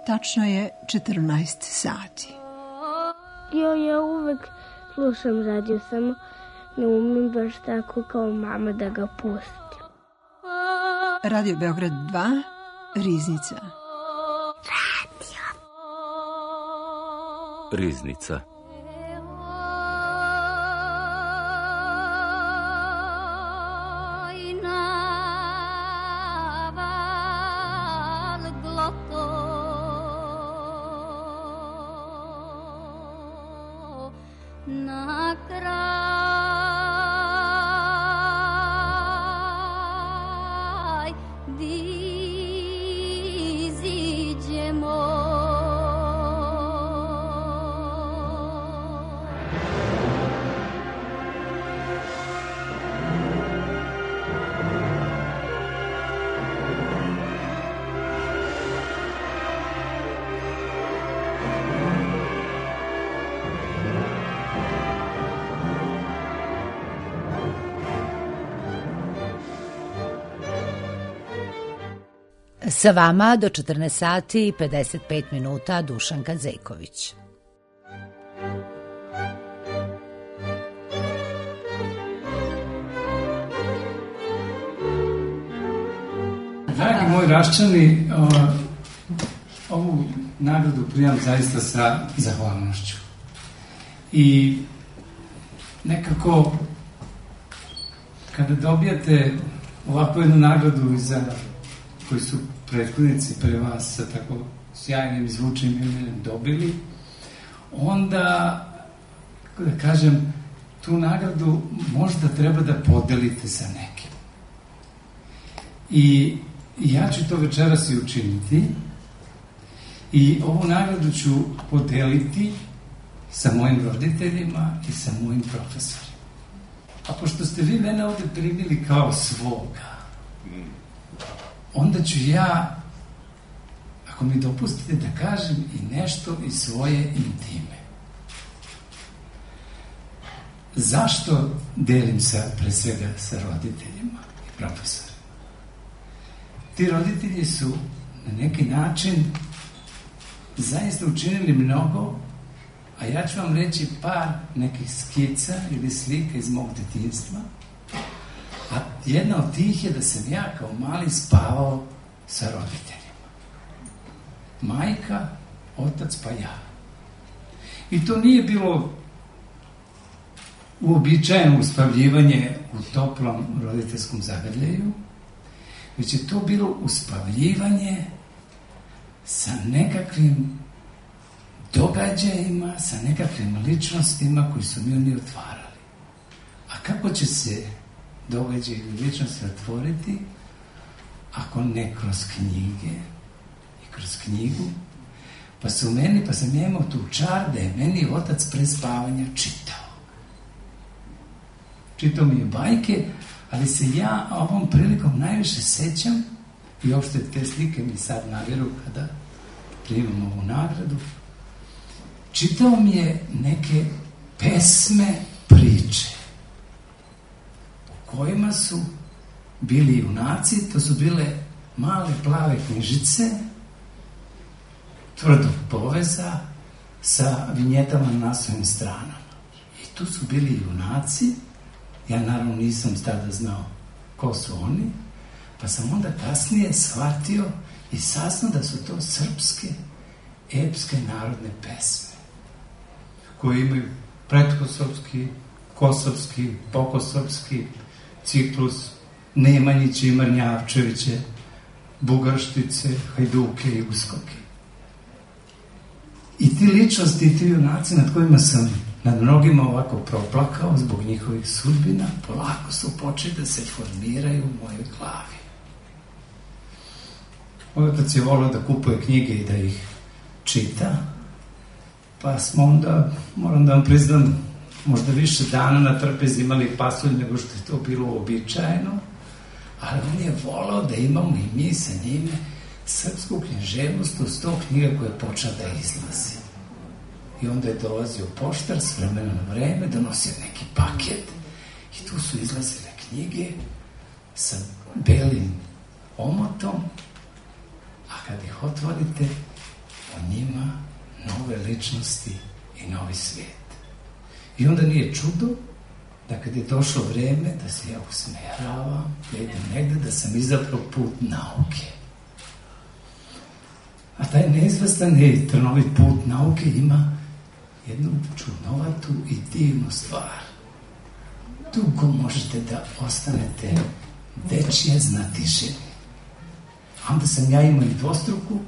Tačno je 14 sati. Ja uvek slušam radio, samo ne umem baš tako kao mama da ga pustim. Radio Beograd 2, Riznica. Riznica. Sa vama do 14 sati i 55 minuta Dušanka Zejković. Dragi moji Raščani, ovu nagradu primam zaista sa zahvalnošću. I nekako kada dobijate ovakvu jednu nagradu iza koji su prethodnici pre vas sa tako sjajnim i zvučnim imenom dobili, onda, kako da kažem, tu nagradu možda treba da podelite sa nekim. I ja ću to večeras i učiniti i ovu nagradu ću podeliti sa mojim roditeljima i sa mojim profesorima. A pošto ste vi mene ovde primili kao svoga, onda ću ja, ako mi dopustite, da kažem i nešto iz svoje intime. Zašto delim pre svega sa roditeljima i profesorima? Ti roditelji su na neki način zaista učinili mnogo, a ja ću vam reći par nekih skica ili slika iz mog detinjstva. A jedna od tih je da sam ja kao mali spavao sa roditeljima. Majka, otac pa ja. I to nije bilo uobičajeno uspavljivanje u toplom roditeljskom zagrljaju, već je to bilo uspavljivanje sa nekakvim događajima, sa nekakvim ličnostima koji su mi oni otvarali. A kako će se događaj ili ličnosti otvoriti ako ne kroz knjige i kroz knjigu? Pa sam ja imao tu čar da je meni otac pre spavanja čitao. Čitao mi je bajke, ali se ja ovom prilikom najviše sećam, i uopšte te slike mi sad naviru kada primam ovu nagradu, čitao mi je neke pesme, priče, u kojima su bili junaci, to su bile male plave knjižice, tvrdog poveza, sa vinjetama na naslovnim stranama. I tu su bili junaci, ja naravno nisam tada znao ko su oni, pa sam onda kasnije shvatio i saznao da su to srpske, epske narodne pesme, koje imaju pretkosovski, kosovski, pokosovski, ciklus, Nemanjiće i Marnjavčeviće, Bugarštice, Hajduke i Uskoke. I ti ličnosti i ti junaci nad kojima sam nad mnogima ovako proplakao zbog njihovih sudbina, polako su počeli da se formiraju u mojoj glavi. Moj otac je volio da kupuje knjige i da ih čita, pa smo onda, moram da vam priznam, možda više dana na trpezi imali pasulj nego što je to bilo uobičajeno, ali on je volao da imamo i mi sa njime srpsku književnost uz to knjiga koja je počela da izlazi. I onda je dolazio poštar s vremena na vreme, donosio neki paket i tu su izlazile knjige sa belim omotom, a kad ih otvorite, u njima nove ličnosti i novi svijet. I onda nije čudo da kad je došlo vreme da se ja usmeravam, da idem negde, da sam izabrao put nauke. A taj neizvestan i trnovit put nauke ima jednu čudnovatu i divnu stvar. Dugo možete da ostanete dečije znatiženi. Onda sam ja imao i dvostruku,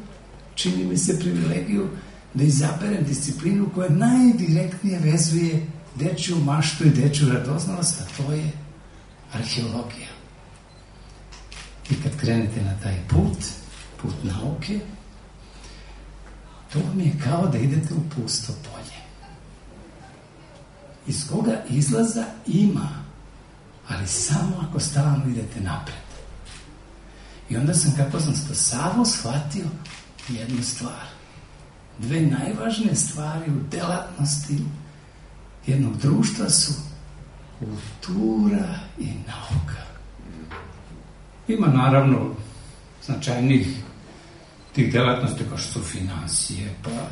čini mi se, privilegiju da izaberem disciplinu koja najdirektnije vezuje dečju maštu i dečju radoznalost, a to je arheologija. I kad krenete na taj put nauke, to vam je kao da idete u pusto polje, iz koga izlaza ima, ali samo ako stalno idete napred. I onda sam, kako sam stasavo, shvatio jednu stvar. Dve najvažnije stvari u delatnosti jednog društva su kultura i nauka. Ima naravno značajnih tih delatnosti kao što su financije, pa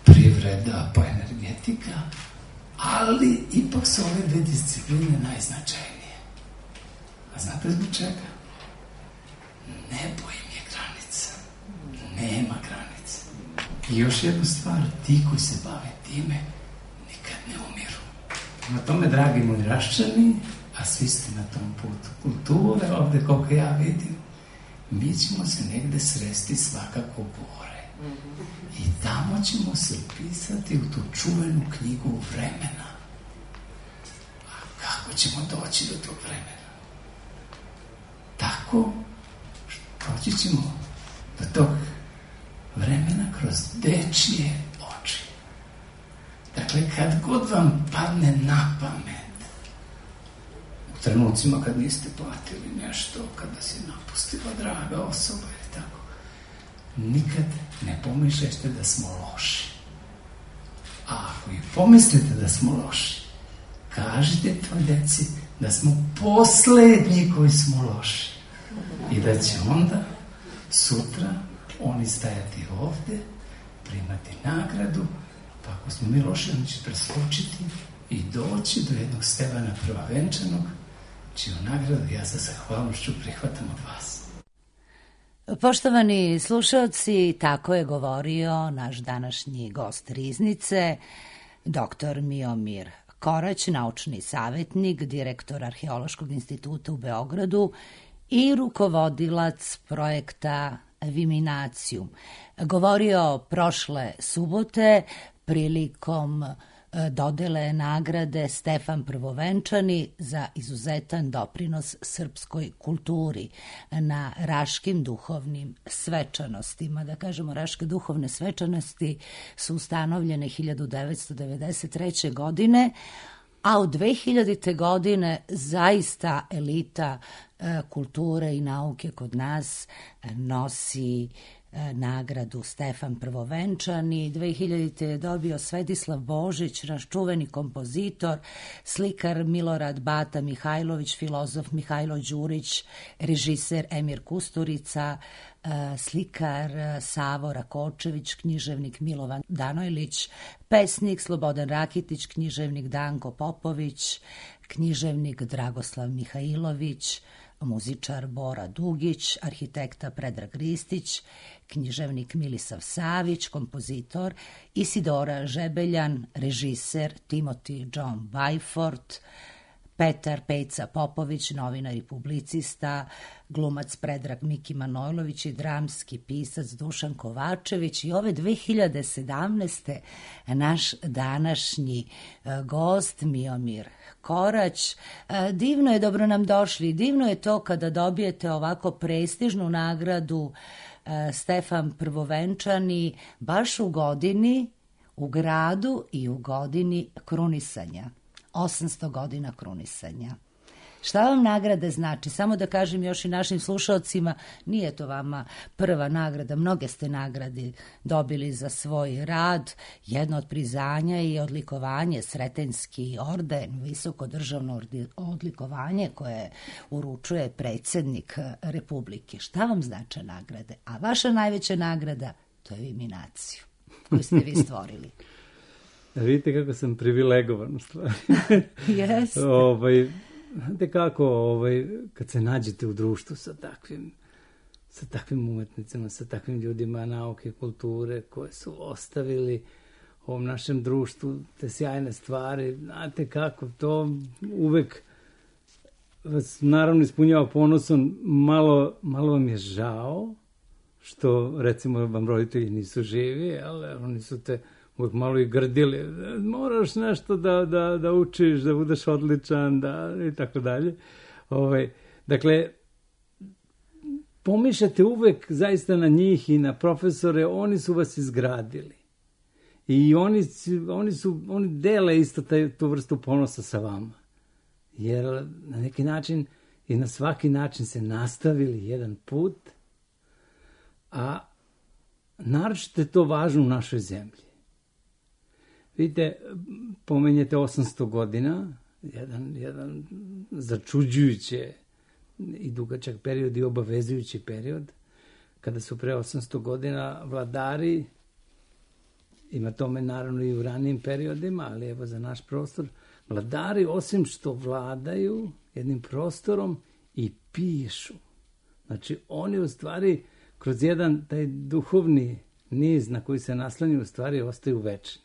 privreda, pa energetika, ali ipak su ove dve discipline najznačajnije. A znate zbog čega? Nebo im je granica. Nema granice. I još jednu stvar, ti koji se bave time nikad ne umiru. Na tome, dragi moji Raščani, a svi ste na tom putu kulture, ovde koliko ja vidim, mi ćemo se negde sresti svakako gore. I tamo ćemo se upisati u tu čuvenu knjigu vremena. A kako ćemo doći do tog vremena? Tako doći ćemo do tog vremena kroz dečije oči. Dakle, kad god vam padne na pamet, u trenucima kad niste platili nešto, kada si napustila draga osoba i tako, nikad ne pomišljate da smo loši. A ako i pomislite da smo loši, kažite tvoj deci da smo poslednji koji smo loši. I da će onda sutra oni stajati ovde, primati nagradu, pa ako smo mi loši, oni će preskočiti i doći do jednog stepena prvavenčanog, čiju nagradu ja sa zahvalnošću prihvatam od vas. Poštovani slušalci, tako je govorio naš današnji gost Riznice, dr. Miomir Korać, naučni savjetnik, direktor Arheološkog instituta u Beogradu i rukovodilac projekta Viminacijum. Govorio prošle subote prilikom dodele nagrade Stefan Prvovenčani za izuzetan doprinos srpskoj kulturi na Raškim duhovnim svečanostima. Da kažemo, Raške duhovne svečanosti su ustanovljene 1993. godine, a u 2000. godine zaista elita kulture i nauke kod nas nosi nagradu Stefan Prvovenčani. 2000. je dobio Svetislav Božić, naš čuveni kompozitor, slikar Milorad Bata Mihajlović, filozof Mihajlo Đurić, režiser Emir Kusturica, slikar Savo Rakočević, književnik Milovan Danojlić, pesnik Slobodan Rakitić, književnik Danko Popović, književnik Dragoslav Mihajlović, muzičar Bora Dugić, arhitekta Predrag Ristić, književnik Milisav Savić, kompozitor Isidora Žebeljan, režiser Timothy John Byford, Petar Pejca Popović, novinar i publicista, glumac Predrag Miki Manojlović i dramski pisac Dušan Kovačević. I ove 2017. naš današnji gost Miomir Korać. Divno je, dobro nam došli. Divno je to kada dobijete ovako prestižnu nagradu Stefan Prvovenčani baš u godini, u gradu i u godini krunisanja. 800 godina krunisanja. Šta vam nagrade znači? Samo da kažem još i našim slušalcima, nije to vama prva nagrada, mnoge ste nagrade dobili za svoj rad. Jedno od priznanja je odlikovanje, Sretenjski orden, visoko državno odlikovanje koje uručuje predsjednik Republike. Šta vam znače nagrade? A vaša najveća nagrada, to je Viminacijum. koji ste vi stvorili. Vidite kako sam privilegovan u stvari. Jeste. Znate kako, kad se nađete u društvu sa takvim umetnicama, sa takvim ljudima nauke, kulture, koje su ostavili ovom našem društvu te sjajne stvari, znate kako, to uvek vas naravno ispunjava ponosom, malo vam je žao, što recimo vam roditelji nisu živi, ali oni su te uvijek malo i grdili, moraš nešto da učiš, da budeš odličan, i tako dalje. Dakle, pomišljate uvijek zaista na njih i na profesore, oni su vas izgradili. I oni dele isto tu vrstu ponosa sa vama. Jer na neki način i na svaki način se nastavili jedan put, a naročito je to važno u našoj zemlji. Vidite, pomenjete 800 godina, jedan začuđujuće i dugačak period i obavezujući period, kada su pre 800 godina vladari, ima tome naravno i u ranijim periodima, ali evo za naš prostor, vladari osim što vladaju jednim prostorom i pišu. Znači oni u stvari kroz jedan taj duhovni niz na koji se naslanju u stvari ostaju večni.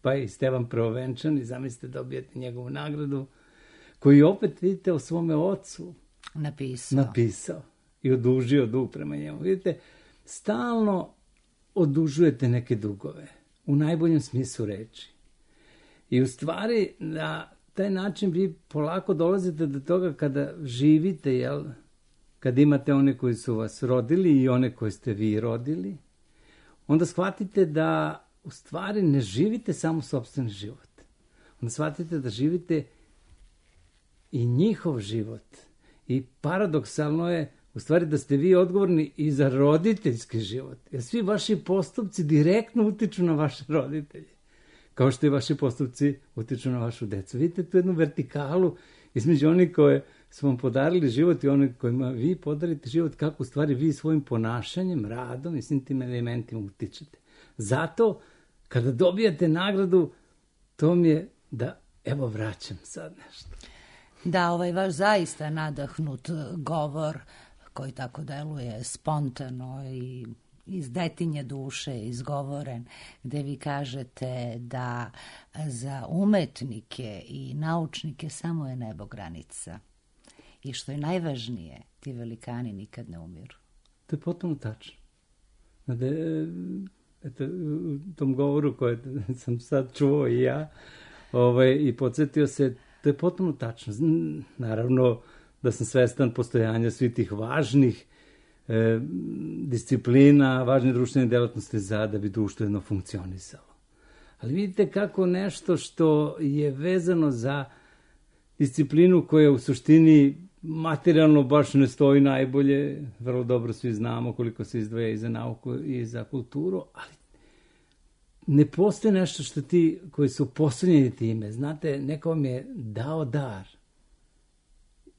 Pa je i Stevan Prvovenčan i zamislite dobijete njegovu nagradu koji opet vidite o svome ocu napisao i odužio dug prema njemu. Vidite, stalno odužujete neke dugove u najboljem smislu reči. I u stvari na taj način vi polako dolazite do toga kada živite, kad imate one koji su vas rodili i one koje ste vi rodili, onda shvatite da u stvari ne živite samo sopstveni život. Onda shvatite da živite i njihov život. I paradoksalno je u stvari da ste vi odgovorni i za roditeljski život. Jer svi vaši postupci direktno utiču na vaše roditelje. Kao što i vaši postupci utiču na vašu decu. Vidite tu jednu vertikalu između onih koje su vam podarili život i onih kojima vi podarite život, kako u stvari vi svojim ponašanjem, radom i svim tim elementima utičete. Zato, kada dobijate nagradu, to mi je da, evo, vraćam sad nešto. Da, ovaj vaš zaista nadahnut govor, koji tako deluje spontano i iz detinje duše izgovoren, gde vi kažete da za umetnike i naučnike samo je nebo granica. I što je najvažnije, ti velikani nikad ne umiru. To je potpuno tačno. Eto, u tom govoru koje sam sad čuo i ja i podsjetio se, to je potpuno tačno. Naravno da sam svestan postojanja svih tih važnih disciplina, važne društvene delatnosti da bi društvo jedno funkcionisalo. Ali vidite kako nešto što je vezano za disciplinu koja u suštini materijalno baš ne stoji najbolje, vrlo dobro svi znamo koliko se izdvaja i za nauku i za kulturu, ali ne postoji nešto što ti koji su posljednjeni time. Znate, neko vam je dao dar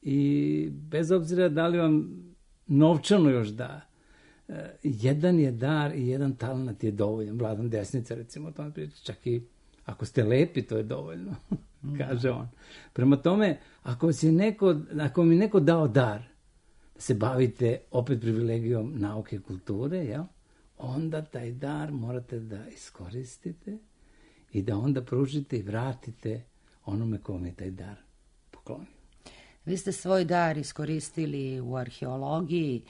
i bez obzira da li vam novčano još da, jedan je dar i jedan talent je dovoljan. Vladan Desnica, recimo, o tome priča, čak i ako ste lepi, to je dovoljno, kaže on. Prema tome, ako mi neko dao dar, da se bavite opet privilegijom nauke i kulture, onda taj dar morate da iskoristite i da onda pružite i vratite onome kome je taj dar poklonio. Vi ste svoj dar iskoristili u arheologiji.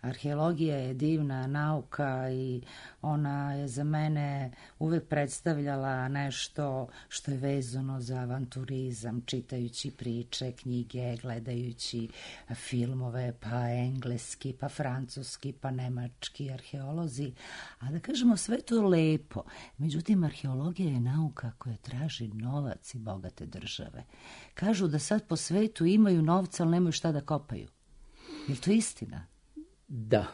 Arheologija je divna nauka i ona je za mene uvek predstavljala nešto što je vezano za avanturizam, čitajući priče, knjige, gledajući filmove, pa engleski, pa francuski, pa nemački arheolozi. A da kažemo, sve to je lepo. Međutim, arheologija je nauka koja traži novac i bogate države. Kažu da sad po svetu imaju novca, ali nemaju šta da kopaju. Je li to istina? Da,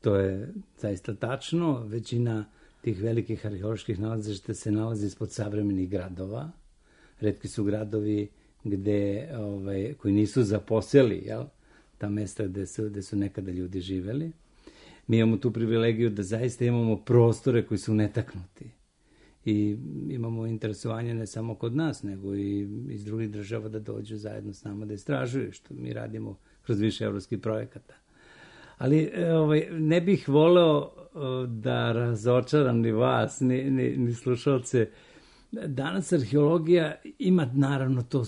to je zaista tačno. Većina tih velikih arheoloških nalazišta se nalazi ispod savremenih gradova. Retki su gradovi koji nisu zaposeli, ta mesta gde su nekada ljudi živeli. Mi imamo tu privilegiju da zaista imamo prostore koji su netaknuti. i imamo interesovanje ne samo kod nas, nego i iz drugih država da dođu zajedno s nama da istražuju, što mi radimo kroz više evropskih projekata. Ali ne bih voleo da razočaram ni vas, ni slušalce. Danas arheologija ima naravno tu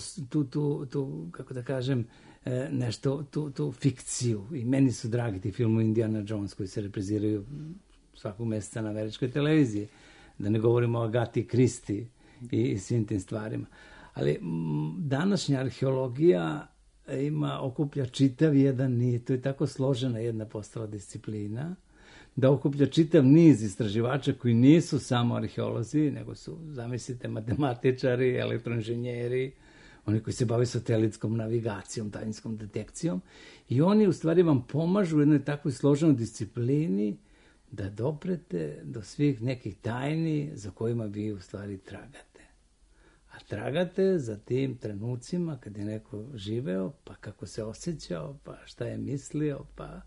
kako da kažem, nešto, tu fikciju. I meni su dragi ti filmu Indiana Jones koji se repriziraju svakog meseca na američkoj televiziji. Da ne govorimo o Agati Kristi i svim tim stvarima. Ali današnja arheologija okuplja čitav jedan niz, to je tako složena jedna postala disciplina, da okuplja čitav niz istraživača koji nisu samo arheolozi, nego su, zamislite, matematičari, elektroinženjeri, oni koji se bave satelitskom navigacijom, daljinskom detekcijom, i oni u stvari vam pomažu u jednoj takvoj složenoj disciplini da doprete do svih nekih tajni za kojima vi u stvari tragate. A tragate za tim trenucima kad je neko živeo, pa kako se osjećao, pa šta je mislio, pa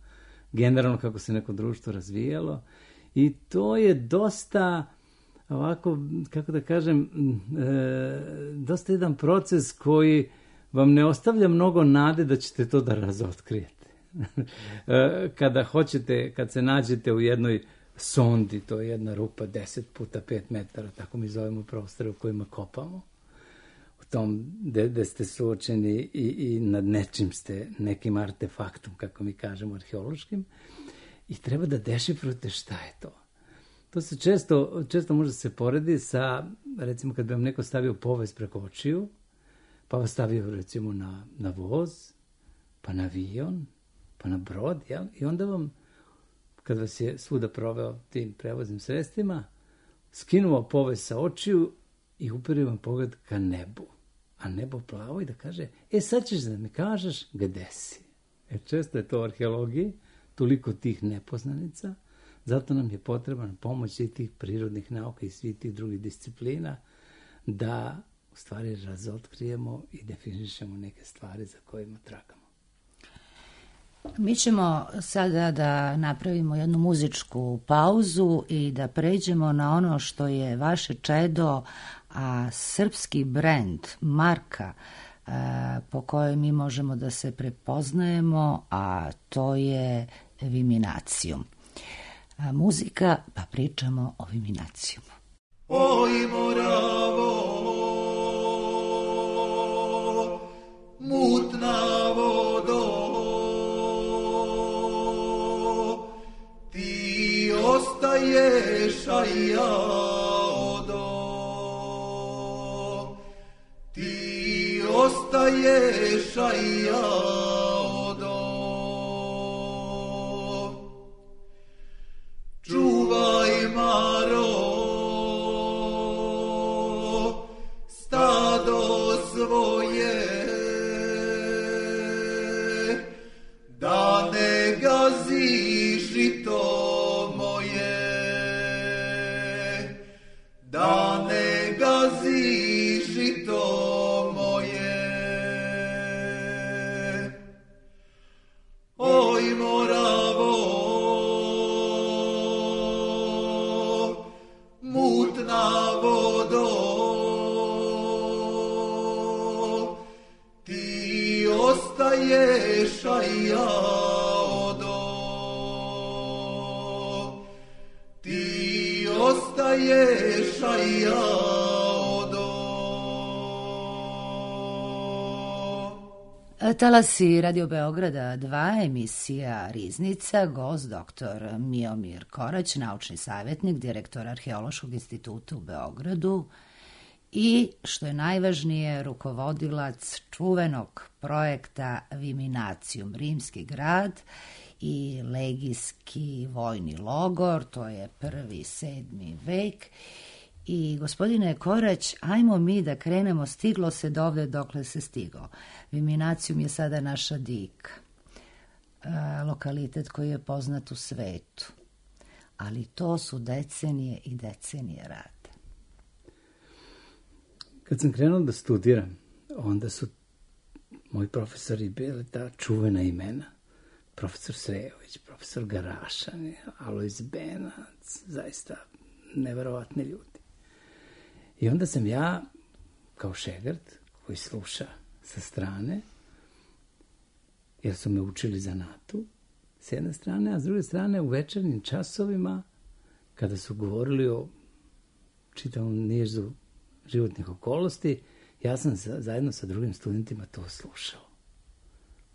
generalno kako se neko društvo razvijalo. I to je dosta ovako, kako da kažem, dosta jedan proces koji vam ne ostavlja mnogo nade da ćete to da razotkrijete. Kada hoćete, kad se nađete u jednoj sondi, to je jedna rupa 10 puta 5 metara, tako mi zovemo prostore u kojima kopamo, u tom gde ste suočeni i nad nečim ste, nekim artefaktom, kako mi kažemo, arheološkim, i treba da dešifrujete šta je to. To se često može se poredi sa, recimo, kad bi vam neko stavio povez preko očiju, pa vas stavio, recimo, na voz, pa na avion, pa na brod, jel? I onda vam, kad vas je svuda proveo tim prevoznim sredstvima, skinuo povez sa očiju i uperio vam pogled ka nebu. A nebo plavo i da kaže, sad ćeš da mi kažeš gde si. Često je to u arheologiji, toliko tih nepoznanica, zato nam je potreban pomoć i tih prirodnih nauka i svih tih drugih disciplina da u stvari razotkrijemo i definišemo neke stvari za kojima tragamo. Mi ćemo sada da napravimo jednu muzičku pauzu i da pređemo na ono što je vaše čedo, a srpski brend, marka po kojoj mi možemo da se prepoznajemo, a to je Viminacijum. Muzika, pa pričamo o Viminacijumu. Oj Moravo, mutna vodo, ti ostaješ, a ja odo. Ti ostaješ, a ja odo. Čuvaj, Maro, stado svoje, da ne gazi žito moje, da ne gazi žito moje. Oj Moravo, mutna vodo, ti ostaješ, a ja odo. Ti ostaješ, a ja odo. Talasi Radio Beograda 2, emisija Riznica, gost dr. Miomir Korać, naučni savjetnik, direktor Arheološkog instituta u Beogradu i, što je najvažnije, rukovodilac čuvenog projekta Viminacijum, Rimski grad i legijski vojni logor, to je 1. 7. vek. I, gospodine Korać, ajmo mi da krenemo, stiglo se dovde dokle se stigo. Viminacijum je sada naša Dika, lokalitet koji je poznat u svetu. Ali to su decenije i decenije rada. Kad sam krenuo da studiram, onda su moji profesori bili ta čuvena imena. Profesor Srejović, profesor Garašan, Alojz Benac, zaista neverovatni ljudi. I onda sam ja, kao šegrt, koji sluša sa strane, jer su me učili zanatu, s jedne strane, a s druge strane u večernjim časovima, kada su govorili o čitavom nizu životnih okolnosti, ja sam zajedno sa drugim studentima to slušao.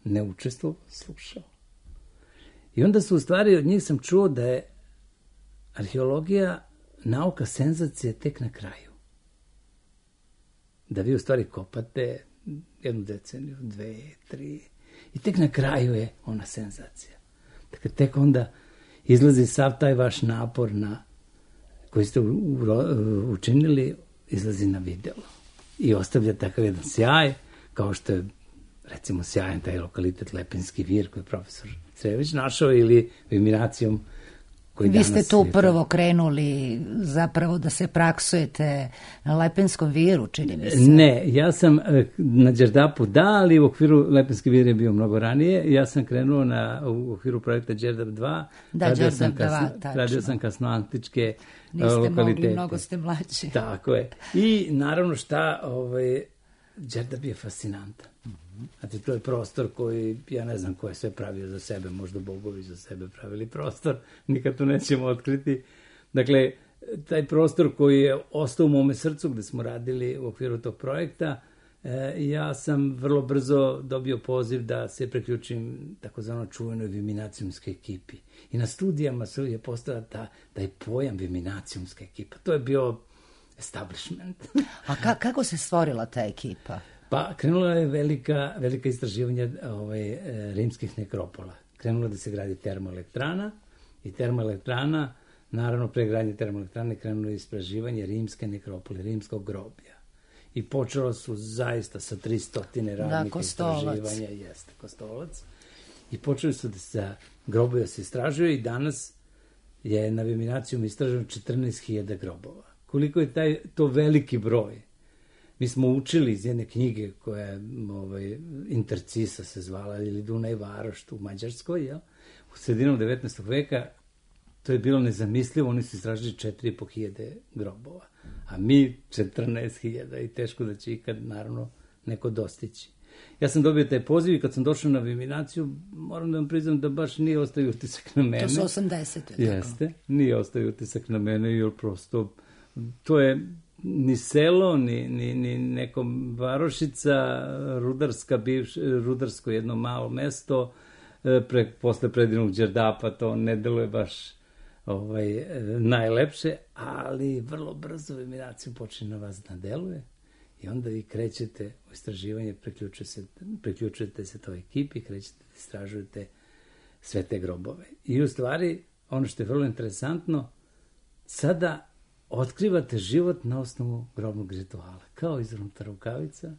Ne učestvovao, slušao. I onda su u stvari od njih sam čuo da je arheologija nauka senzacije tek na kraju. Da vi u stvari kopate 1 deceniju, 2, 3 i tek na kraju je ona senzacija. Dakle, tek onda izlazi sav taj vaš napor koji ste učinili, izlazi na video. I ostavlja takav jedan sjaj, kao što je, recimo, sjajan taj lokalitet Lepenski vir, koji je profesor Crević našao, ili Viminacijom, koji danas... Vi ste tu prvo krenuli zapravo da se praksujete na Lepenskom viru, čini mi se. Ne, ja sam na Đerdapu ali u okviru Lepenski vir je bio mnogo ranije. Ja sam krenuo u okviru projekta Đerdap 2. Da, Đerdap 2, tačno. Radio sam kasnoantičke lokalitete. Niste mogli, mnogo ste mlađi. Tako je. I naravno Đerdap je fascinantan. Znači, to je prostor koji, ja ne znam ko je sve pravio za sebe, možda bogovi za sebe pravili prostor, nikad to nećemo otkriti. Dakle, taj prostor koji je ostao u mome srcu gde smo radili u okviru tog projekta, ja sam vrlo brzo dobio poziv da se priključim takozvano čuvenoj viminacijumskoj ekipi. I na studijama je postala taj pojam viminacijumska ekipa. To je bio establishment. A kako se stvorila ta ekipa? Pa krenula je velika istraživanja rimskih nekropola. Krenula da se gradi termoelektrana i termoelektrana, naravno pre gradnje termoelektrane krenulo je istraživanje rimske nekropole, rimskog groblja. I počelo su zaista sa 300 radnih istraživanja. Jeste, Kostolac. I počeli su da se grobovi se istražuju i danas je na Viminacijum istraženo 14.000 grobova. Koliko je to veliki broj? Mi smo učili iz jedne knjige koja je Intercisa se zvala, ili Dunaj Varoš u Mađarskoj, jel? U sredinom 19. veka to je bilo nezamislivo, oni su istražili 4.500 grobova, a mi 14.000 i teško da će ikad, naravno, neko dostići. Ja sam dobio taj poziv i kad sam došao na Viminaciju, moram da vam priznam da baš nije ostavio utisak na mene. To su 80. Jeste, nije ostavio utisak na mene, jer prosto to je ni selo, ni neko varošica, rudarsko jedno malo mesto, posle predinog Đerdapa to ne deluje baš najlepše, ali vrlo brzo Viminaciju počne na vas da deluje i onda vi krećete u istraživanje, priključujete se toj ekipi, krećete da istražujete sve te grobove. I u stvari, ono što je vrlo interesantno, sada otkrivate život na osnovu grobnog rituala, kao izvrnuta rukavica,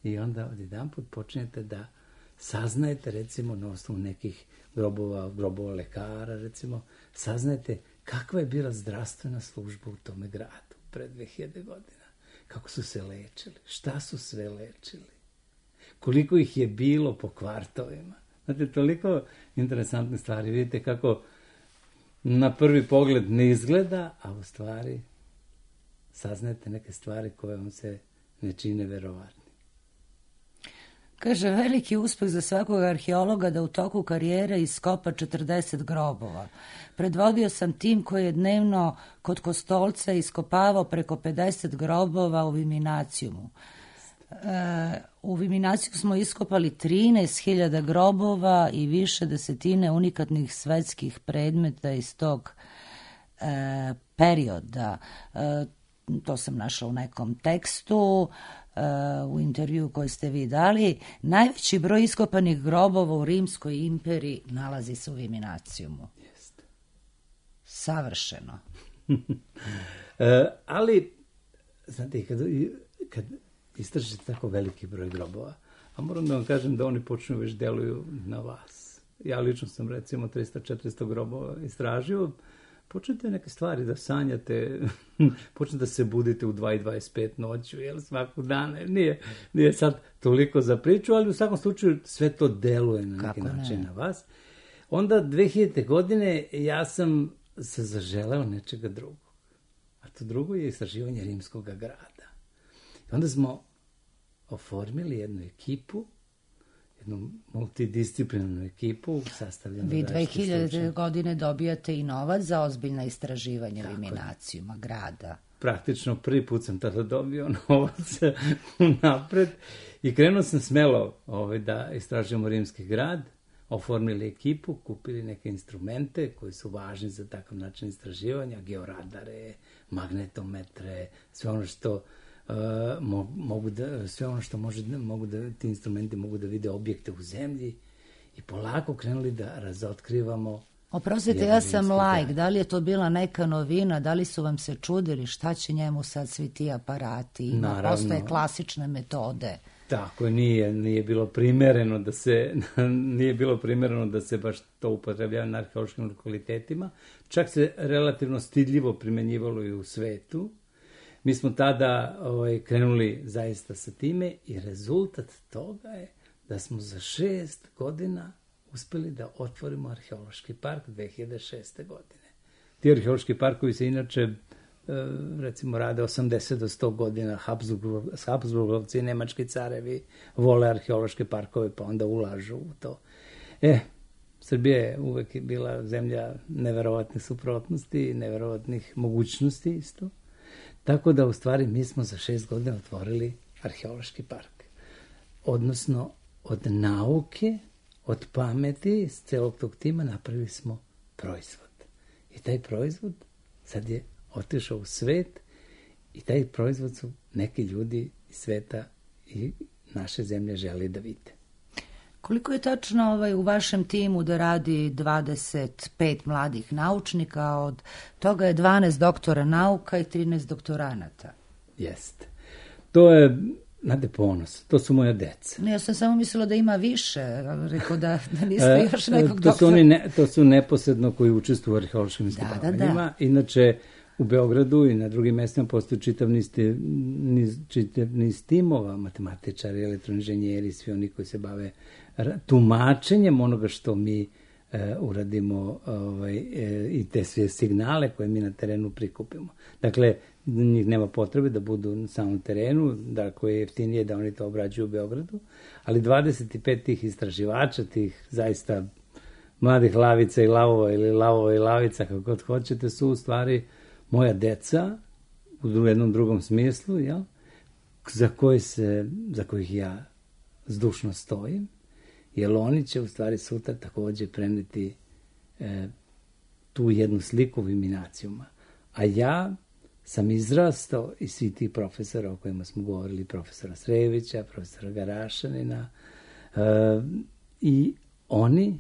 i onda odjedanput počinjete da saznajete, recimo, na osnovu nekih grobova lekara, recimo, saznajete kakva je bila zdravstvena služba u tome gradu pre 2000 godina, kako su se lečili, šta su sve lečili, koliko ih je bilo po kvartovima. Znate, toliko interesantne stvari. Vidite kako na prvi pogled ne izgleda, a u stvari saznajete neke stvari koje vam se ne čine verovatni. Kaže, veliki uspeh za svakog arheologa da u toku karijere iskopa 40 grobova. Predvodio sam tim koji je dnevno kod Kostolca iskopavao preko 50 grobova u Viminacijumu. U Viminaciju smo iskopali 13.000 grobova i više desetine unikatnih svetskih predmeta iz tog perioda. To sam našla u nekom tekstu, u intervju koji ste vi dali. Najveći broj iskopanih grobova u Rimskoj imperiji nalazi se u Viminacijumu. Jeste. Savršeno. Ali, znate, kad istražite tako veliki broj grobova, a moram da vam kažem da oni počnu već deluju na vas. Ja lično sam, recimo, 300-400 grobova istražio. Počnete neke stvari da sanjate, počnete da se budite u 2:25 noću, jel, svakog dana. Nije sad toliko za priču, ali u svakom slučaju sve to deluje na neki način na vas. Onda 2000. godine ja sam se zaželeo nečega drugog. a to drugo je istraživanje rimskog grada. I onda smo oformili jednu ekipu, jednu multidisciplinarnu ekipu sastavljenu. Vi 2000. godine dobijate i novac za ozbiljna istraživanja eliminacijuma grada. Praktično prvi put sam tada dobio novac napred i krenuo sam smelo da istražujemo rimski grad, oformili ekipu, kupili neke instrumente koji su važni za takav način istraživanja, georadare, magnetometre, sve ono što ti instrumenti mogu da vide objekte u zemlji i polako krenuli da razotkrivamo. Oprostite, ja sam laik, da li je to bila neka novina, da li su vam se čudili šta će njemu sad svi ti aparati, postoje klasične metode. Tako, nije bilo primereno da se baš to upotrebljava na arheološkim lokalitetima, čak se relativno stidljivo primenjivalo i u svetu. Mi smo tada krenuli zaista sa time i rezultat toga je da smo za 6 godina uspeli da otvorimo arheološki park 2006. godine. Ti arheološki parkovi se inače, recimo, rade 80 do 100 godina. Habsburgovci i nemački carevi vole arheološke parkove, pa onda ulažu u to. Srbija je uvek bila zemlja neverovatnih suprotnosti i neverovatnih mogućnosti isto. Tako da, u stvari, mi smo za 6 godina otvorili arheološki park. Odnosno, od nauke, od pameti, iz celog tog tima napravili smo proizvod. I taj proizvod sad je otišao u svet i taj proizvod su neki ljudi iz sveta i naše zemlje želi da vide. Koliko je tačno u vašem timu da radi 25 mladih naučnika, od toga je 12 doktora nauka i 13 doktoranata? Jeste. To je, znate, ponos. To su moja deca. Ja sam samo mislila da ima više. Rekao da niste još nekog doktora. To su neposredno koji učestvuju u arheološkim iskopavanjima. Da. Inače, u Beogradu i na drugim mestima postoji čitav niz timova, matematičari, elektroinženjeri, svi oni koji se bave tumačenjem onoga što mi uradimo i te sve signale koje mi na terenu prikupimo. Dakle, njih nema potrebe da budu na samom terenu, da ako je jeftinije da oni to obrađuju u Beogradu, ali 25 tih istraživača, tih zaista mladih lavica i lavova ili lavova i lavica, kako god hoćete, su u stvari moja deca u jednom drugom smislu, za kojih ja zdušno stojim, jer oni će u stvari sutra takođe preneti tu jednu sliku eliminacijuma. A ja sam izrastao i svi ti profesora o kojima smo govorili, profesora Srejevića, profesora Garašanina, i oni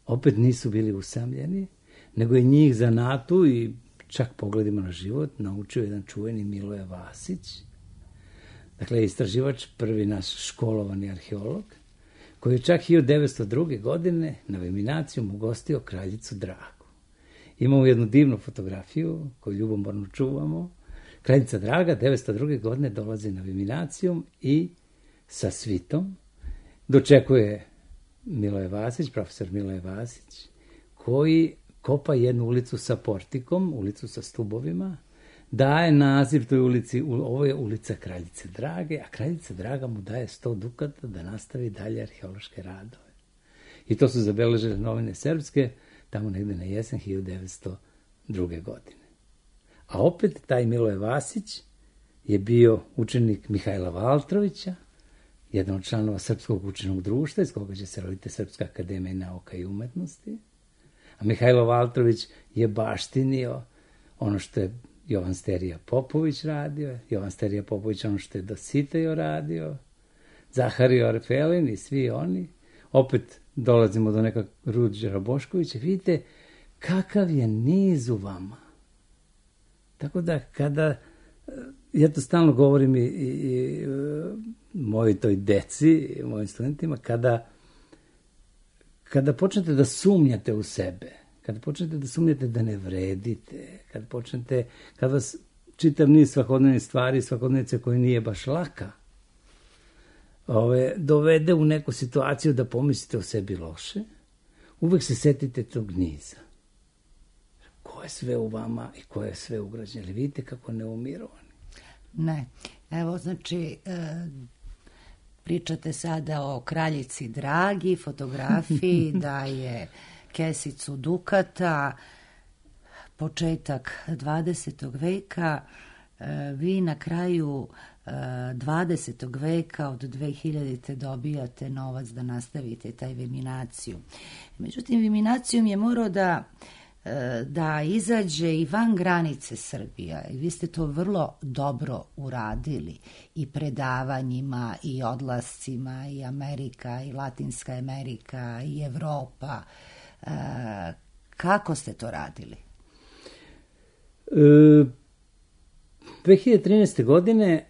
opet nisu bili usamljeni, nego je njih zanatu i čak pogledimo na život naučio jedan čuveni Miloje Vasić, dakle istraživač, prvi naš školovani arheolog, koji je čak 1902. godine na eliminaciju ugostio kraljicu Dragu. Imamo jednu divnu fotografiju koju ljubomorno čuvamo. Kraljica Draga 1902. godine dolazi na eliminaciju i sa svitom dočekuje Miloje Vasić, profesor Miloje Vasić, koji kopa jednu ulicu sa portikom, ulicu sa stubovima, daje naziv toj ulici, ovo je ulica Kraljice Drage, a Kraljica Draga mu daje 100 dukata da nastavi dalje arheološke radove. I to su zabeležile novine srpske, tamo negde na jesen 1902. godine. A opet taj Miloje Vasić je bio učenik Mihajla Valtrovića, jedan od članova Srpskog učenog društva, iz koga će se roditi Srpska akademija nauka i umetnosti. A Mihajlo Valtrović je baštinio ono što je Jovan Sterija Popović radio, Jovan Sterija Popović ono što je Dositej radio, Zahario Arfelin i svi oni. Opet dolazimo do nekog Ruđera Boškovića. Vidite kakav je niz u vama. Tako da kada, ja to stalno govorim i mojoj toj deci, mojim studentima, kada počnete da sumnjate u sebe, kada počnete da sumnjate da ne vredite, kada vas čitav niz svakodnevnih stvari, svakodnevice koja nije baš laka, dovede u neku situaciju da pomislite o sebi loše, uvek se setite tog niza. Ko je sve u vama i ko je sve ugrađen. Ali vidite kako ne umiru oni. Ne. Evo, znači, pričate sada o kraljici Dragi, fotografiji, da je kesicu dukata, početak 20. veka, vi na kraju 20. veka od 2000. dobijate novac da nastavite taj Viminaciju. Međutim, Viminacijum je morao da izađe i van granice Srbija. I vi ste to vrlo dobro uradili i predavanjima i odlascima i Amerika i Latinska Amerika i Evropa. Kako ste to radili? 2013. godine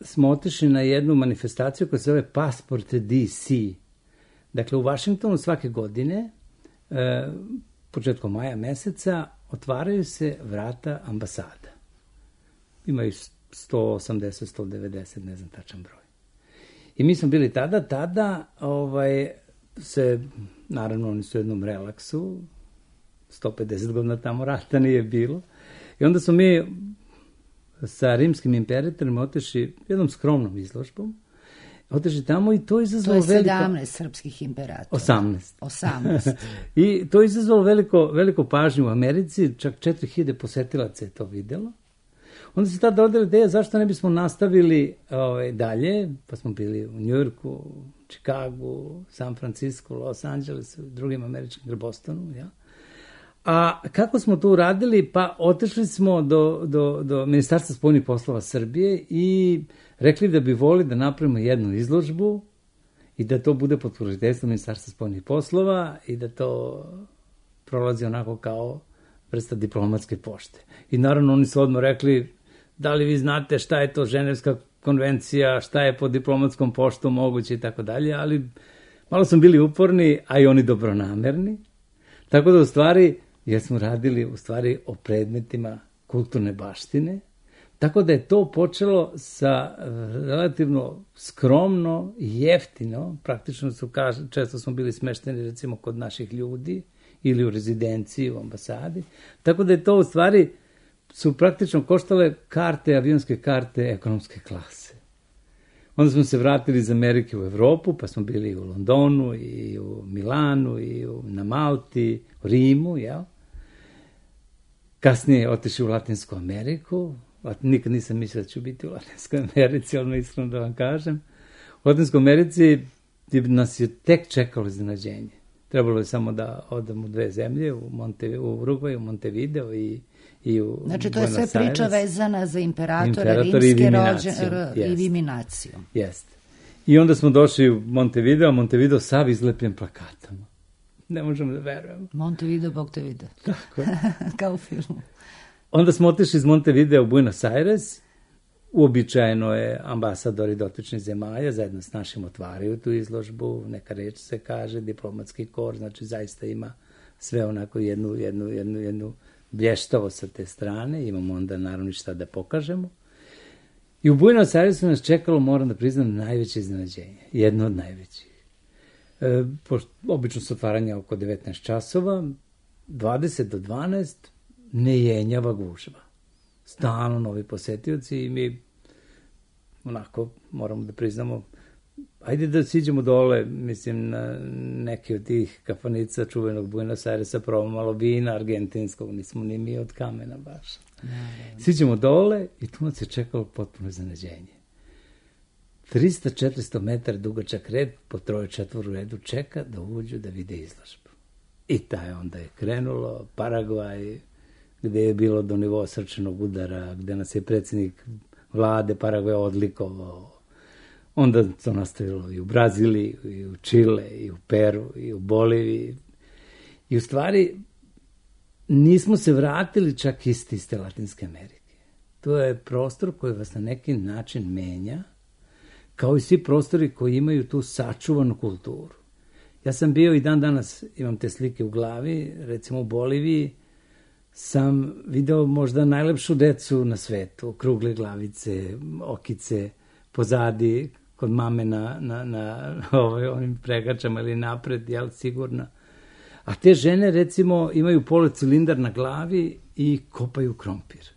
smo otišli na jednu manifestaciju koja se zove Passport DC. Dakle, u Vašingtonu svake godine, početkom maja meseca, otvaraju se vrata ambasada. Imaju 180, 190, ne znam tačan broj. I mi smo bili tada se, naravno oni su u jednom relaksu, 150 godina tamo rata nije bilo. I onda smo mi sa rimskim imperatorima otišli jednom skromnom izložbom, otišli tamo i to izazvalo veliko... To je 17 srpskih imperatora. 18. I to izazvalo veliko pažnju u Americi, čak 4000 posetilaca je to videlo. Onda se tada rodila ideja zašto ne bismo nastavili dalje, pa smo bili u Njujorku, Čikagu, San Francisco, Los Angelesu, drugim američkim, Bostonu, ja. A kako smo to uradili? Pa otišli smo do Ministarstva spoljnih poslova Srbije i rekli da bi volili da napravimo jednu izložbu i da to bude pod pokroviteljstvom Ministarstva spoljnih poslova i da to prolazi onako kao vrsta diplomatske pošte. I naravno oni su odmah rekli, da li vi znate šta je to Ženevska konvencija, šta je pod diplomatskom poštom moguće i tako dalje, ali malo smo bili uporni, a i oni dobronamerni. Tako da u stvari, jer smo radili u stvari o predmetima kulturne baštine, tako da je to počelo sa relativno skromno i jeftino, praktično često smo bili smešteni recimo kod naših ljudi ili u rezidenciji, u ambasadi, tako da je to u stvari su praktično koštale karte, avionske karte ekonomske klase. Onda smo se vratili iz Amerike u Evropu, pa smo bili u Londonu i u Milanu i na Malti, u Rimu, jel? Kasnije otišli u Latinsku Ameriku. Nikad nisam mislio da ću biti u Latinskoj Americi, ali iskreno da vam kažem. U Latinskoj Americi nas je tek čekalo iznenađenje. Trebalo je samo da odem u 2 zemlje, u Urugvaj, u Montevideo i u znači, to je sve priča vezana za imperatora rimske i Viminaciju. Jeste. I onda smo došli u Montevideo sav izlepljen plakatama. Ne možemo da verujemo. Montevideo, Bog te vide. Tako. Kao u filmu. Onda smo otišli iz Montevideo u Buenos Aires. Uobičajeno je ambasadori dotičnih zemalja zajedno s našim otvaraju tu izložbu. Neka reč se kaže, diplomatski kor, znači zaista ima sve onako jednu blještavo sa te strane. Imamo onda naravno šta da pokažemo. I u Buenos Airesu nas čekalo, moram da priznam, najveće iznenađenje. Jedno od najvećih. Obično su otvaranja oko 19 časova, 20 do 12, nejenjava gužva. Stalno novi posetioci i mi onako moramo da priznamo, ajde da siđemo dole, mislim, na neke od tih kafanica čuvenog Buenos Airesa, probamo malo vina argentinskog, nismo ni mi od kamena baš. Siđemo dole i tu nas je čekalo potpuno iznenađenje. 300-400 metara dugačak red, po 3-4 redu čeka da uđu da vide izložbu. I taj onda je krenulo, Paragvaj, gde je bilo do nivoa srčanog udara, gde nas je predsjednik vlade Paragvaja odlikovao. Onda to nastavilo i u Braziliji, i u Čile, i u Peru, i u Boliviji. I u stvari nismo se vratili čak iz iste Latinske Amerike. To je prostor koji vas na neki način menja, kao i svi prostori koji imaju tu sačuvanu kulturu. Ja sam bio i dan danas, imam te slike u glavi, recimo u Boliviji, sam video možda najlepšu decu na svetu, okrugle glavice, okice, pozadi, kod mame na onim pregačama ili napred, jel, sigurno. A te žene, recimo, imaju policilindar na glavi i kopaju krompir.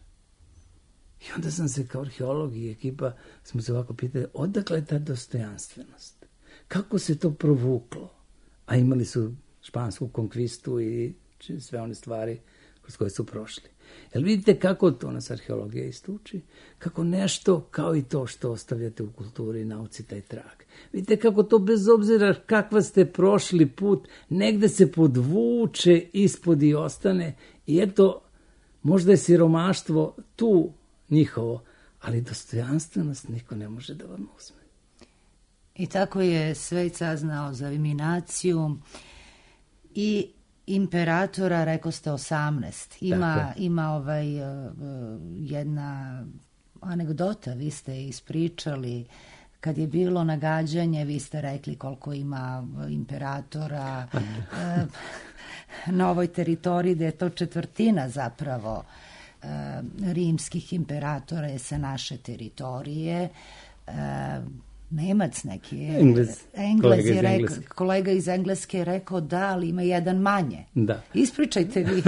I onda sam se kao arheolog i ekipa smo se ovako pitali, odakle je ta dostojanstvenost? Kako se to provuklo? A imali su špansku konkvistu i sve one stvari kroz koje su prošli. Jel vidite kako to nas arheologija istuči? Kako nešto, kao i to što ostavljate u kulturi i nauci, taj trag. Vidite kako to bez obzira kakva ste prošli put, negde se podvuče ispod i ostane. I eto, možda je siromaštvo tu njihovo, ali dostojanstvenost niko ne može da vam uzme. I tako je Svejc saznao za eliminaciju i imperatora, rekao ste 18. Ima jedna anegdota, vi ste ispričali, kad je bilo nagađanje, vi ste rekli koliko ima imperatora na ovoj teritoriji, da je to 1/4 zapravo rimskih imperatora je sa naše teritorije. Nemac neki, kolega iz Engleske je rekao da, ali ima jedan manje. Da. Ispričajte vi.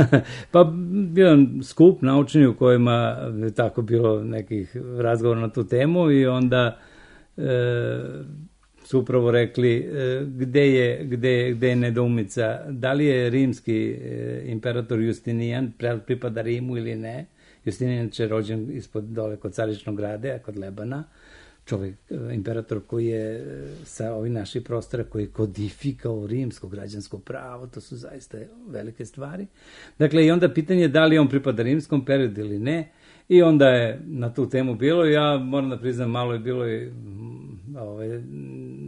Pa bio skup naučni u kojima je tako bilo nekih razgovora na tu temu i onda su upravo rekli gde je nedoumica, da li je rimski imperator Justinijan pripada Rimu ili ne. Justinijan je rođen ispod dole kod Caričnog grade, kod Lebana, čovjek, imperator koji je sa ovih naših prostora, koji je kodifikao rimsko građansko pravo, to su zaista velike stvari. Dakle, i onda pitanje da li on pripada rimskom periodu ili ne, i onda je na tu temu bilo, ja moram da priznam, malo je bilo i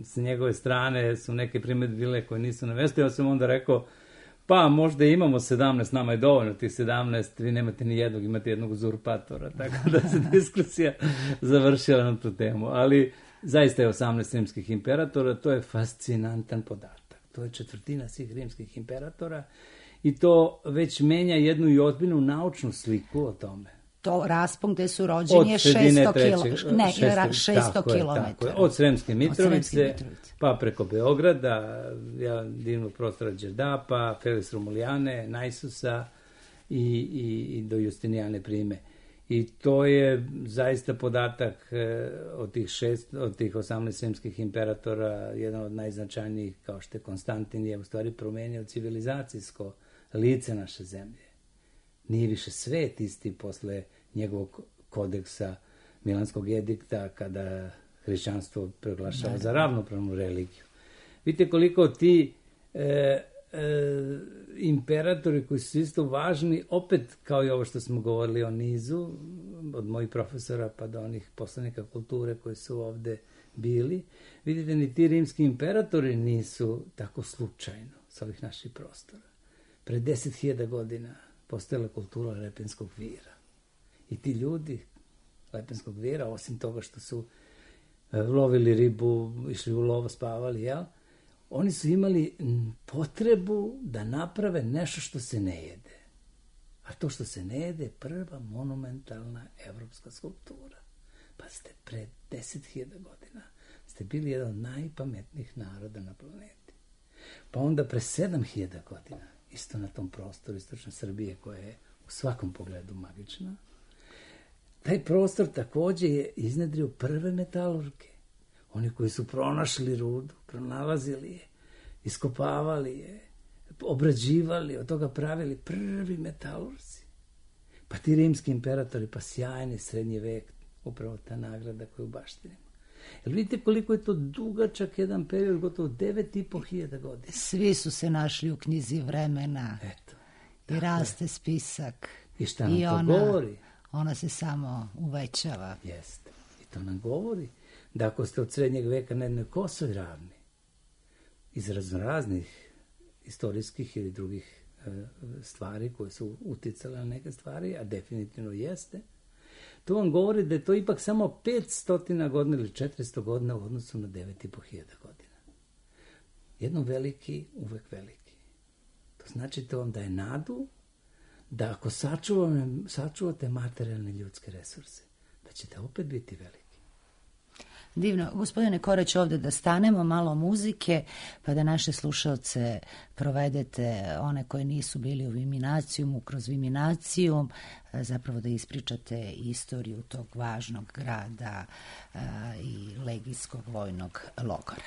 s njegove strane su neke primjedbe bile koje nisu na mestu, ja sam onda rekao, pa možda imamo 17, nama je dovoljno tih 17, vi nemate ni jednog, imate jednog uzurpatora, tako da se diskusija završila na tu temu. Ali zaista je 18 rimskih imperatora, to je fascinantan podatak. To je 1/4 svih rimskih imperatora i to već menja jednu i ozbiljnu naučnu sliku o tome. To raspon gde su rođeni je 600 km. Od Sremske Mitrovice, pa preko Beograda, divnog prostora Đerdapa, Felis Romulijane, Najsusa i do Justinijane Prime. I to je zaista podatak od tih 18 sremskih imperatora, jedan od najznačajnijih, kao što je Konstantin, je u stvari promenio civilizacijsko lice naše zemlje. Nije više svet isti posle njegovog kodeksa Milanskog edikta, kada hrišćanstvo proglašava za ravnopravnu religiju. Vidite koliko ti imperatori koji su isto važni, opet kao i ovo što smo govorili o nizu, od mojih profesora pa do onih poslanika kulture koji su ovde bili, vidite, ni ti rimski imperatori nisu tako slučajno sa ovih naših prostora. Pre 10.000 godina postojala kultura Lepenskog vira. I ti ljudi Lepenskog vira, osim toga što su lovili ribu, išli u lovo, spavali, jel? Oni su imali potrebu da naprave nešto što se ne jede. A to što se ne jede je prva monumentalna evropska skulptura. Pa ste pre 10.000 godina ste bili jedan od najpametnijih naroda na planeti. Pa onda pre 7.000 godina, isto na tom prostoru istočne Srbije, koja je u svakom pogledu magična, taj prostor takođe je iznedrio prve metalurge. Oni koji su pronašli rudu, pronalazili je, iskopavali je, obrađivali, od toga pravili prvi metalurzi. Pa ti rimski imperatori, pa sjajni srednji vek, upravo ta nagrada koju baštinimo. Jel vidite koliko je to dugačak jedan period, gotovo 9.500 godina. Svi su se našli u knjizi vremena. Eto. I raste spisak. I šta nam to govori? Ona se samo uvećava. Jeste. I to nam govori da ako ste od srednjeg veka na jednoj kosoj ravni, iz raznih istorijskih ili drugih stvari koje su uticale na neke stvari, a definitivno jeste, to vam govori da je to ipak samo 500 godina ili 400 godina u odnosu na 9.500 godina. Jedno veliki, uvek veliki. To znači to vam daje nadu da ako sačuvate materijalne ljudske resurse, da ćete opet biti veliki. Divno. Gospodine Korać, ovde da stanemo, malo muzike, pa da naše slušalce provedete, one koji nisu bili u Viminacijumu, kroz Viminacijum, zapravo da ispričate istoriju tog važnog grada i legijskog vojnog logora.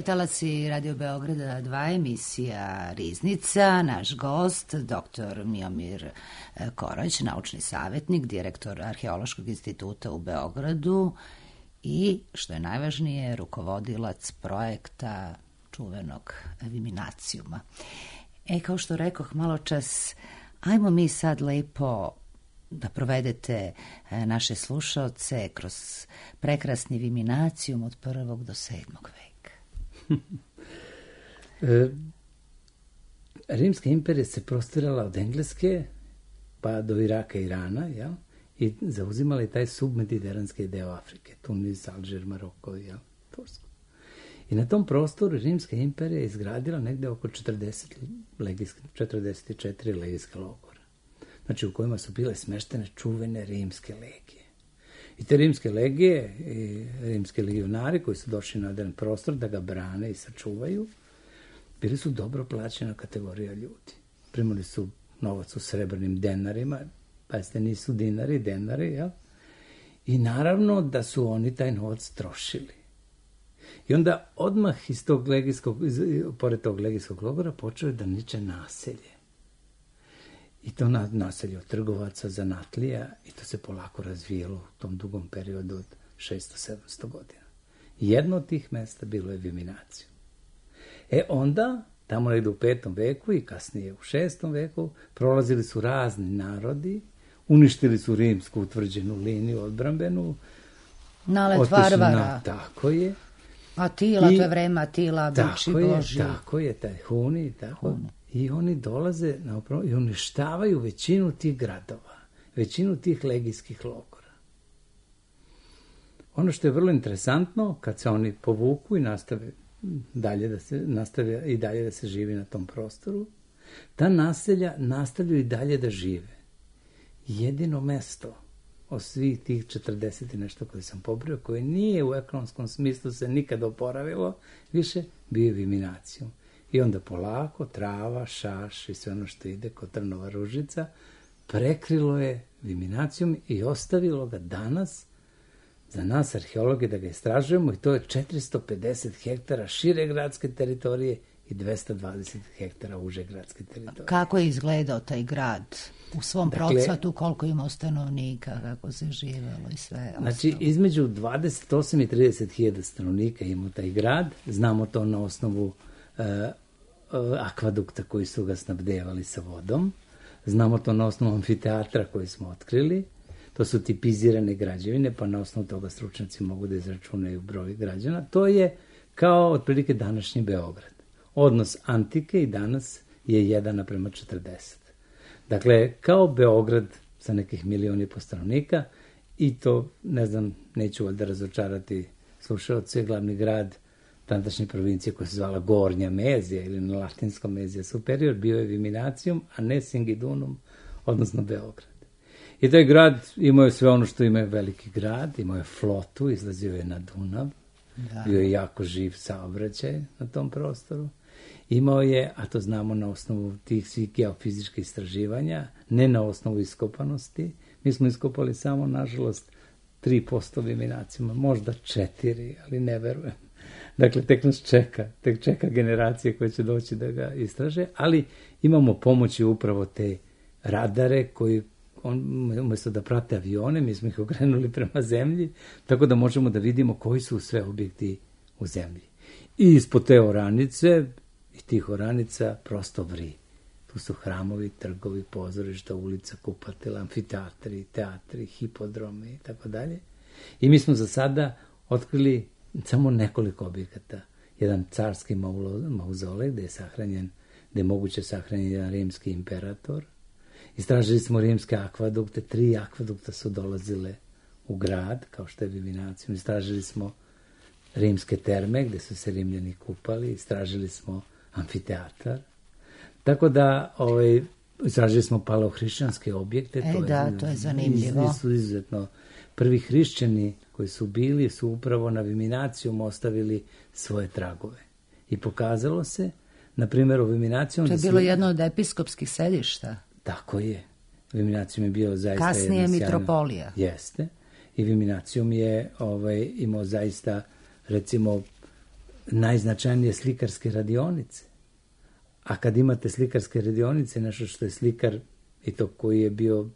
Talasi Radio Beograda 2, emisija Riznica. Naš gost, dr. Miomir Korać, naučni savjetnik, direktor Arheološkog instituta u Beogradu i, što je najvažnije, rukovodilac projekta čuvenog Viminacijuma. Kao što rekoh malo čas, ajmo mi sad lepo da provedete naše slušaoce kroz prekrasni Viminacijum od 1. do 7. veka. Rimska imperija se prostirala od Engleske pa do Iraka i Irana, jel? I zauzimala taj submediteranski deo Afrike, Tunis, Alžir, Maroko, jel? Tursku. I na tom prostoru Rimska imperija je izgradila negde oko 44 legijska logora, znači u kojima su bile smeštene čuvene rimske legije. I te rimske legije i rimske legionari koji su došli na jedan prostor da ga brane i sačuvaju, bili su dobro plaćena kategorija ljudi. Primali su novac u srebrnim denarima, pazite, nisu dinari, denari, jel? I naravno da su oni taj novac trošili. I onda odmah iz tog pored tog legijskog logora počeo da niče naselje. I to naselje od trgovaca, zanatlija, i to se polako razvijelo u tom dugom periodu od 600-700 godina. Jedno od tih mesta bilo je Viminacijum. Onda, tamo negdje u 5. veku i kasnije u 6. veku, prolazili su razni narodi, uništili su rimsku utvrđenu liniju odbrambenu. Nalet Varvara. Tako je. Atila, to je vreme Atila, bivši Boži. Tako je, taj Huni, tako. I oni dolaze i uništavaju većinu tih gradova, većinu tih legijskih logora. Ono što je vrlo interesantno, kad se oni povuku i nastave i dalje da se živi na tom prostoru, ta naselja nastavljaju i dalje da žive. Jedino mesto od svih tih 40 i nešto koje sam pobrojao, koje nije u ekonomskom smislu se nikad oporavilo, više bio je Viminacijum. I onda polako trava, šaš i sve ono što ide kod Trnova Ružica prekrilo je Viminacijum i ostavilo ga danas za nas arheologe da ga istražujemo, i to je 450 hektara šire gradske teritorije i 220 hektara uže gradske teritorije. Kako je izgledao taj grad u svom procvatu, koliko ima stanovnika, kako se živelo i sve ostalo? Znači, između 28 i 30 hiljada stanovnika ima taj grad. Znamo to na osnovu akvadukta koji su ga snabdevali sa vodom. Znamo to na osnovu amfiteatra koji smo otkrili. To su tipizirane građevine, pa na osnovu toga stručnjaci mogu da izračunaju broj građana. To je kao otprilike današnji Beograd. Odnos antike i danas je 1:40. Dakle, kao Beograd sa nekih 1,5 miliona stanovnika, i to, ne znam, neću valjda razočarati slušaoce, glavni grad tadašnje provincije koja se zvala Gornja Mezija ili na latinskom Mezija Superior bio je Viminacijum, a ne Singidunum, odnosno Beograd. I taj grad imao je sve ono što ima veliki grad, imao je flotu, izlazio je na Dunav, bio je jako živ saobraćaj na tom prostoru. Imao je, a to znamo na osnovu tih svih geofizičkih istraživanja, ne na osnovu iskopanosti. Mi smo iskopali samo, nažalost, 3% Viminacijuma, možda 4%, ali ne verujem. Dakle, tek nas čeka generacije koje će doći da ga istraže, ali imamo pomoći upravo te radare koji, umjesto da prate avione, mi smo ih okrenuli prema zemlji, tako da možemo da vidimo koji su sve objekti u zemlji. I ispod te oranice i tih oranica prosto vri. Tu su hramovi, trgovi, pozorišta, ulica, kupatila, amfiteatri, teatri, hipodromi i tako dalje. I mi smo za sada otkrili samo nekoliko objekata. Jedan carski mauzolej gde je moguće sahranjen jedan rimski imperator. Istražili smo rimske akvadukte, 3 akvadukta su dolazile u grad, kao što je Viminacijum. Istražili smo rimske terme gde su se Rimljani kupali, istražili smo amfiteatar. Tako da istražili smo palohrišćanske objekte. To je zanimljivo. Su izuzetno prvi hrišćani koji su bili su upravo na Viminacijum ostavili svoje tragove. I pokazalo se, na primjer, u Viminacijum... To je bilo jedno od episkopskih sedišta. Tako je. Viminacijum je bio zaista... Kasnije mitropolija. Jeste. I Viminacijum je imao zaista, recimo, najznačajnije slikarske radionice. A kad imate slikarske radionice, nešto što je slikar, i to koji je bio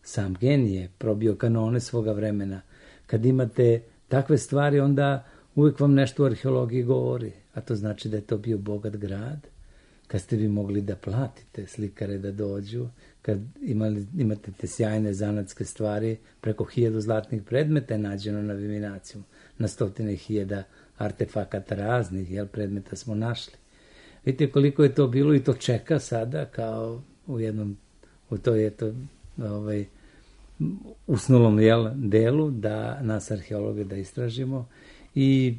sam genije, probio kanone svoga vremena, kad imate takve stvari, onda uvijek vam nešto u arheologiji govori, a to znači da je to bio bogat grad, kad ste vi mogli da platite slikare da dođu, kad imate te sjajne zanatske stvari, preko 1000 zlatnih predmeta je nađeno na Viminacijum, na 100.000 artefakata raznih, predmeta smo našli. Vidite koliko je to bilo i to čeka sada kao u toj usnulom delu da nas arheologe da istražimo, i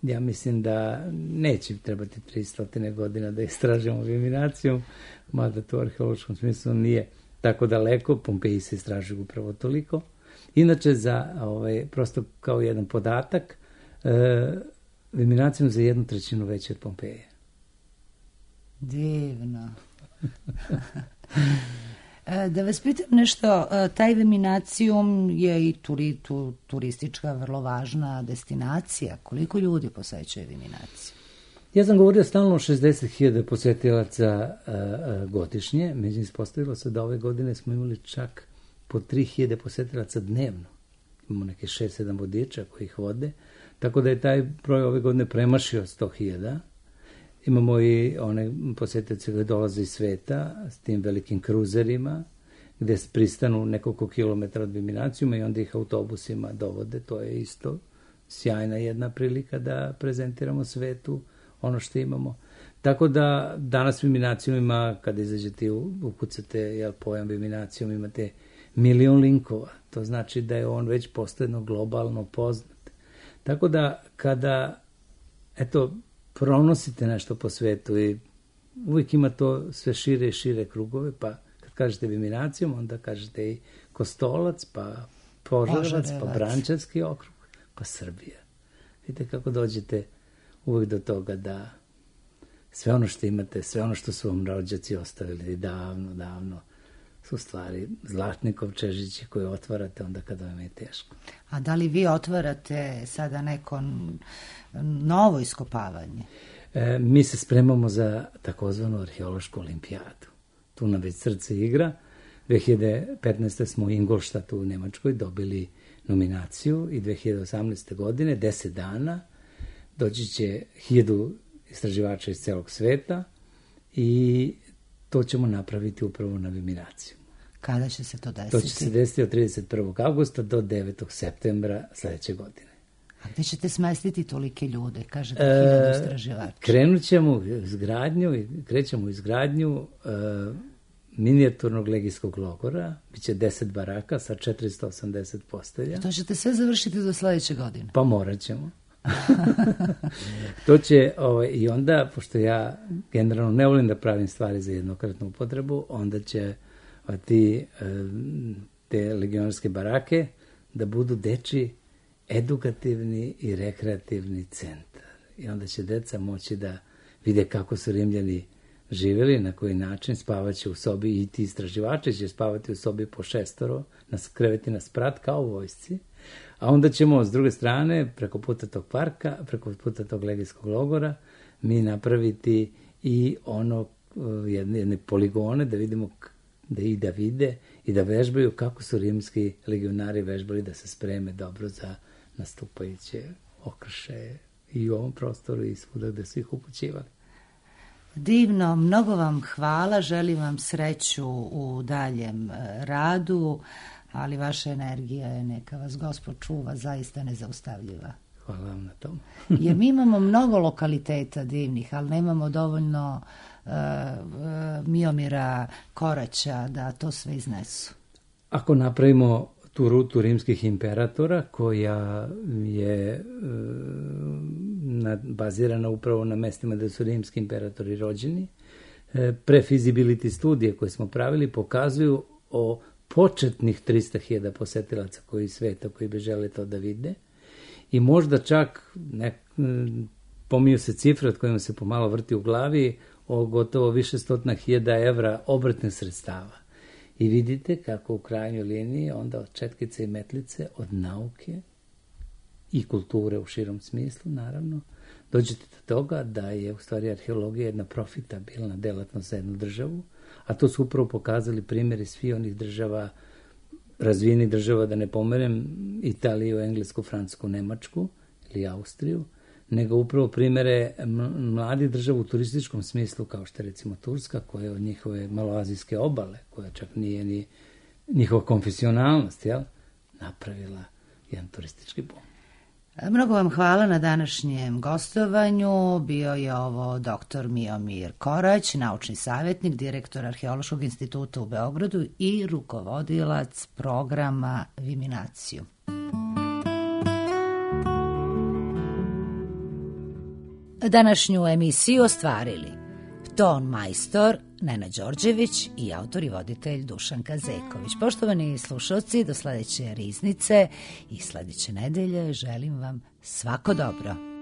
ja mislim da neće trebati 300 godina da istražimo Viminacijum, mada to u arheološkom smislu nije tako daleko. Pompeji se istražuju upravo toliko. Inače, prosto kao jedan podatak, Viminacijum za 1/3 veće od Pompeje. Divno. Da vas pitam nešto, taj Viminacijum je i turistička vrlo važna destinacija. Koliko ljudi posećuje Viminaciju? Ja sam govorio stalno o 60.000 posetilaca godišnje, međutim ispostavilo se da ove godine smo imali čak po 3.000 posetilaca dnevno. Imamo neke 6-7 vodiča koji ih vode, tako da je taj broj ove godine premašio 100.000. Imamo i one posetilace koji dolaze iz sveta s tim velikim kruzerima, gde pristanu nekoliko kilometara od Viminacijuma i onda ih autobusima dovode. To je isto sjajna jedna prilika da prezentiramo svetu ono što imamo. Tako da danas Viminacijum ima, kada izađete i ukucate pojam Viminacijum, imate 1.000.000 linkova. To znači da je on već postojno globalno poznat. Tako da kada pronosite nešto po svetu i uvijek ima to sve šire i šire krugove, pa kad kažete Viminacijum, onda kažete i Kostolac, pa Požarevac, pa Brančanski okrug, pa Srbija. Vidite kako dođete uvijek do toga da sve ono što imate, sve ono što su vam rođaci ostavili davno, su stvari zlatni kovčežići koje otvarate onda kada vam je teško. A da li vi otvarate sada neko novo iskopavanje? Mi se spremamo za takozvanu arheološku olimpijadu. Tu nam već srce igra. 2015. smo u Ingolštatu u Nemačkoj dobili nominaciju i 2018. godine, 10 dana, doći će 1000 istraživača iz celog sveta i to ćemo napraviti upravo na Viminaciju. Kada će se to desiti? To će se desiti od 31. augusta do 9. septembra sledeće godine. A gde ćete smestiti tolike ljude, kažete 1000 istraživača? Krećemo u izgradnju minijaturnog legijskog logora, biće 10 baraka sa 480 postelja. To ćete sve završiti do sledeće godine? Pa morat ćemo. To će, i onda, pošto ja generalno ne volim da pravim stvari za jednokratnu upotrebu, onda će te legionarske barake da budu dečiji edukativni i rekreativni centar. I onda će deca moći da vide kako su Rimljani živjeli, na koji način, spavaće u sobi i ti istraživači će spavati u sobi po 6, na kreveti na sprat kao u vojsci. A onda ćemo s druge strane, preko puta tog parka, preko puta tog legijskog logora, mi napraviti i jedne poligone da vidimo da vide i da vežbaju kako su rimski legionari vežbali da se spreme dobro za nastupajuće okršaje i u ovom prostoru i svuda gde su ih upućivali. Divno, mnogo vam hvala, želim vam sreću u daljem radu, ali vaša energija je, neka vas Gospod čuva, zaista nezaustavljiva. Hvala vam na tom. Jer mi imamo mnogo lokaliteta divnih, ali nemamo dovoljno Miomira Koraća da to sve iznesu. Ako napravimo tu rutu rimskih imperatora, koja je bazirana upravo na mestima da su rimski imperatori rođeni, prefeasibility studije koje smo pravili pokazuju o početnih 300.000 posetilaca koji sveta, koji bi žele to da vide. I možda čak, pominju se cifre od kojima se pomalo vrti u glavi, o gotovo više 100.000 evra obrtne sredstava. I vidite kako u krajnjoj liniji onda od četkice i metlice, od nauke i kulture u širom smislu, naravno, dođete do toga da je u stvari arheologija jedna profitabilna delatnost za jednu državu, a to su upravo pokazali primjeri svi onih država, razvijenih država, da ne pomerem Italiju, Englesku, Francusku, Nemačku ili Austriju, nego upravo primjere mladih država u turističkom smislu, kao što je recimo Turska, koja je od njihove maloazijske obale, koja čak nije ni njihova konfesionalnost, napravila jedan turistički bum. Mnogo vam hvala na današnjem gostovanju. Bio je ovo dr. Miomir Korać, naučni savjetnik, direktor Arheološkog instituta u Beogradu i rukovodilac programa Viminaciju. Današnju emisiju ostvarili ton majstor Nena Đorđević i autor i voditelj Dušanka Zeković. Poštovani slušalci, do sledeće riznice i sledeće nedelje želim vam svako dobro.